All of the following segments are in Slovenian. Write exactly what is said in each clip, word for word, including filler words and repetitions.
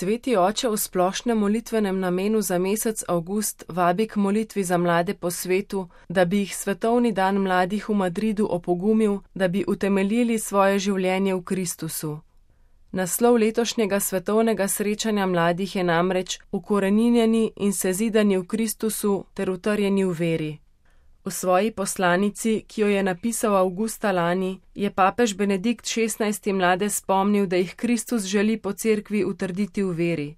Sveti oče v splošnem molitvenem namenu za mesec avgust vabi k molitvi za mlade po svetu, da bi jih svetovni dan mladih v Madridu opogumil, da bi utemeljili svoje življenje v Kristusu. Naslov letošnjega svetovnega srečanja mladih je namreč Ukoreninjeni in sezidani v Kristusu ter utrjeni v veri. V svoji poslanici, ki jo je napisal avgusta lani, je papež Benedikt šestnajsti mlade spomnil, da jih Kristus želi po cerkvi utrditi v veri.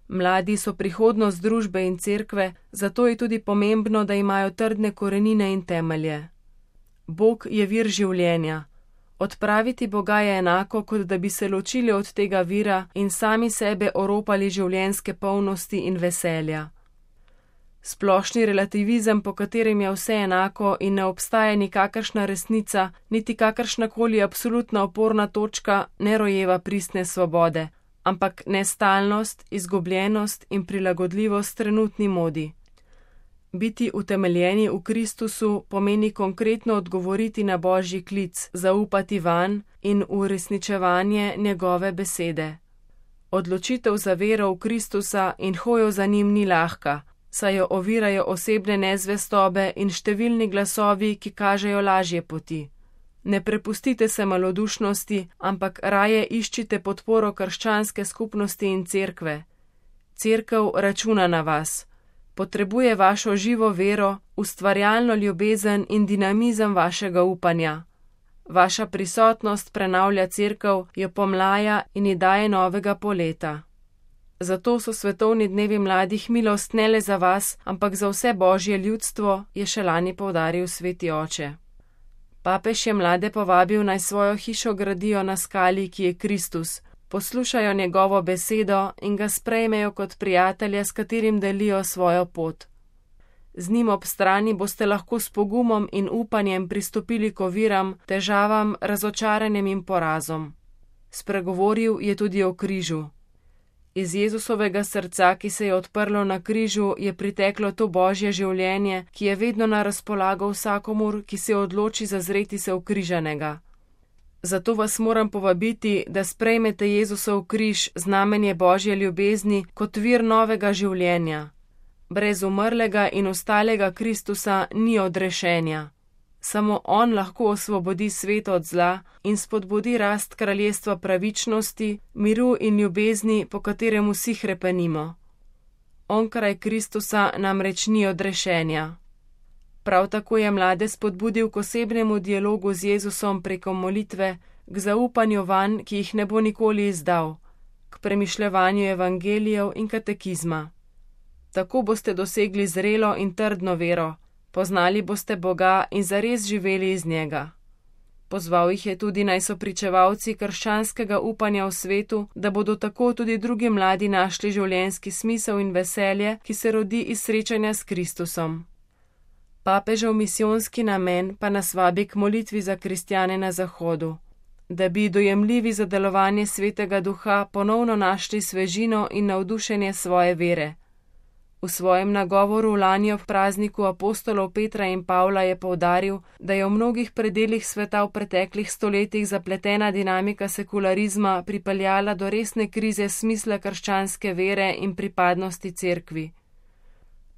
Mladi so prihodnost družbe in cerkve, zato je tudi pomembno, da imajo trdne korenine in temelje. Bog je vir življenja. Odpraviti Boga je enako, kot da bi se ločili od tega vira in sami sebe oropali življenjske polnosti in veselja. Splošni relativizem, po katerem je vse enako in ne obstaja nikakršna resnica, niti kakršnakoli absolutna oporna točka, ne rojeva pristne svobode, ampak nestalnost, izgubljenost in prilagodljivost trenutni modi. Biti utemeljeni v Kristusu pomeni konkretno odgovoriti na Božji klic, zaupati vanj in uresničevanje njegove besede. Odločitev za vero v Kristusa in hojo za njim ni lahka, saj jo ovirajo osebne nezvestobe in številni glasovi, ki kažejo lažje poti. Ne prepustite se malodušnosti, ampak raje iščite podporo krščanske skupnosti in cerkve. Cerkev računa na vas. Potrebuje vašo živo vero, ustvarjalno ljubezen in dinamizem vašega upanja. Vaša prisotnost prenavlja cerkev, jo pomlaja in ji daje novega poleta. Zato so svetovni dnevi mladih milost ne le za vas, ampak za vse Božje ljudstvo, je še lani poudaril sveti oče. Papež je mlade povabil, naj svojo hišo gradijo na skali, ki je Kristus, poslušajo njegovo besedo in ga sprejmejo kot prijatelja, s katerim delijo svojo pot. Z njim ob strani boste lahko s pogumom in upanjem pristopili k oviram, težavam, razočaranjem in porazom. Spregovoril je tudi o križu. Iz Jezusovega srca, ki se je odprlo na križu, je priteklo to Božje življenje, ki je vedno na razpolago vsakomur, ki se odloči zazreti se v križanega. Zato vas moram povabiti, da sprejmete Jezusov križ, znamenje Božje ljubezni, kot vir novega življenja. Brez umrlega in ostalega Kristusa ni odrešenja. Samo on lahko osvobodi svet od zla in spodbudi rast kraljestva pravičnosti, miru in ljubezni, po katerem vsi hrepenimo. Onkraj Kristusa namreč ni odrešenja. Prav tako je mlade spodbudil k osebnemu dialogu z Jezusom preko molitve, k zaupanju vanj, ki jih ne bo nikoli izdal, k premišljevanju evangelijev in katekizma. Tako boste dosegli zrelo in trdno vero, poznali boste Boga in zares živeli iz njega. Pozval jih je tudi, naj so pričevalci krščanskega upanja v svetu, da bodo tako tudi drugi mladi našli življenjski smisel in veselje, ki se rodi iz srečanja s Kristusom. Papežev misijonski namen pa nas vabi k molitvi za kristjane na Zahodu, da bi dojemljivi za delovanje Svetega Duha ponovno našli svežino in navdušenje svoje vere. V svojem nagovoru lani ob prazniku apostolov Petra in Pavla je poudaril, da je v mnogih predelih sveta v preteklih stoletjih zapletena dinamika sekularizma pripeljala do resne krize smisla krščanske vere in pripadnosti cerkvi.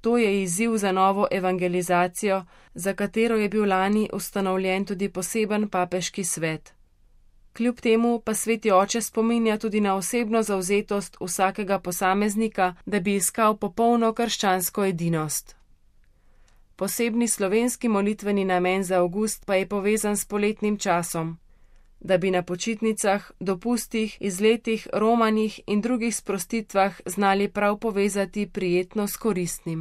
To je izziv za novo evangelizacijo, za katero je bil lani ustanovljen tudi poseben papeški svet. Kljub temu pa sveti oče spominja tudi na osebno zavzetost vsakega posameznika, da bi iskal popolno krščansko edinost. Posebni slovenski molitveni namen za avgust pa je povezan s poletnim časom, da bi na počitnicah, dopustih, izletih, romanjih in drugih sprostitvah znali prav povezati prijetno s koristnim.